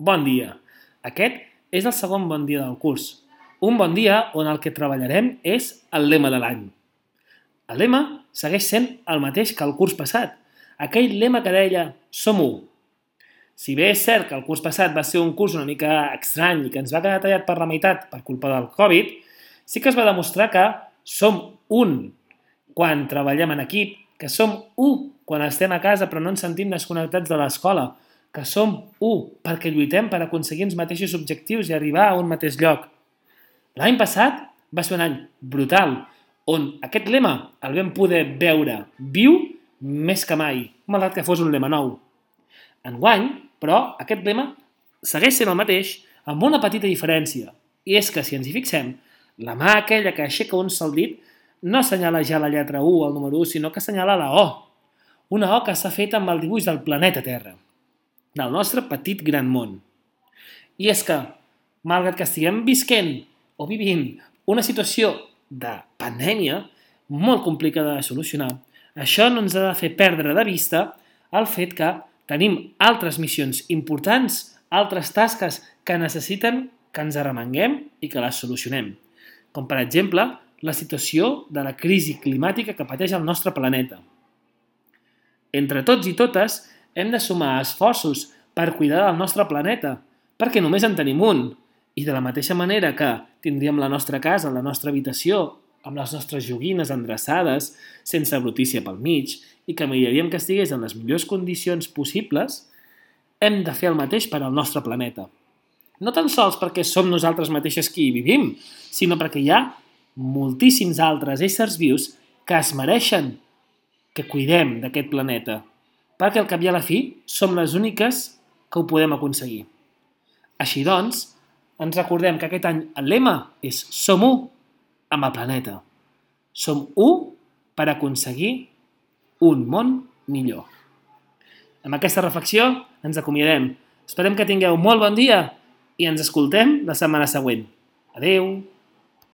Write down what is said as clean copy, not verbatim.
Bon dia. Aquest és el segon bon dia del curs. Un bon dia on el que treballarem és el lema de l'any. El lema segueix sent el mateix que el curs passat. Aquell lema que deia Som u. Si bé és cert que el curs passat va ser un curs una mica estrany i que ens va quedar tallat per la meitat per culpa del Covid, sí que es va demostrar que som un quan treballem en equip, que som u quan estem a casa però no ens sentim desconnectats de l'escola, que som u perquè lluitem per aconseguir els mateixos objectius i arribar a un mateix lloc. L'any passat va ser un any brutal, on aquest lema el vam poder veure viu més que mai, malgrat que fos un lema nou. Enguany, però, aquest lema segueix sent el mateix amb una petita diferència, i és que, si ens hi fixem, la mà aquella que aixeca un sol dit no assenyala ja la lletra U, el número 1, sinó que assenyala la O. Una O que s'ha fet amb el dibuix del planeta Terra, del nostre petit gran món. I és que, malgrat que estiguem visquent o vivint una situació de pandèmia molt complicada de solucionar, això no ens ha de fer perdre de vista el fet que tenim altres missions importants, altres tasques que necessiten que ens arremanguem i que les solucionem. Com, per exemple, la situació de la crisi climàtica que pateix el nostre planeta. Entre tots i totes, hem de sumar esforços per cuidar del nostre planeta, perquè només en tenim un. I de la mateixa manera que tindríem la nostra casa, la nostra habitació, amb les nostres joguines endreçades, sense brutícia pel mig, i que miraríem que estigués en les millors condicions possibles, hem de fer el mateix per al nostre planeta. No tan sols perquè som nosaltres mateixes qui hi vivim, sinó perquè hi ha moltíssims altres éssers vius que es mereixen que cuidem d'aquest planeta, perquè al cap i a la fi som les úniques que ho podem aconseguir. Així doncs, ens recordem que aquest any el lema és Som u amb el planeta. Som u per aconseguir un món millor. Amb aquesta reflexió ens acomiadem. Esperem que tingueu molt bon dia i ens escoltem la setmana següent. Adeu!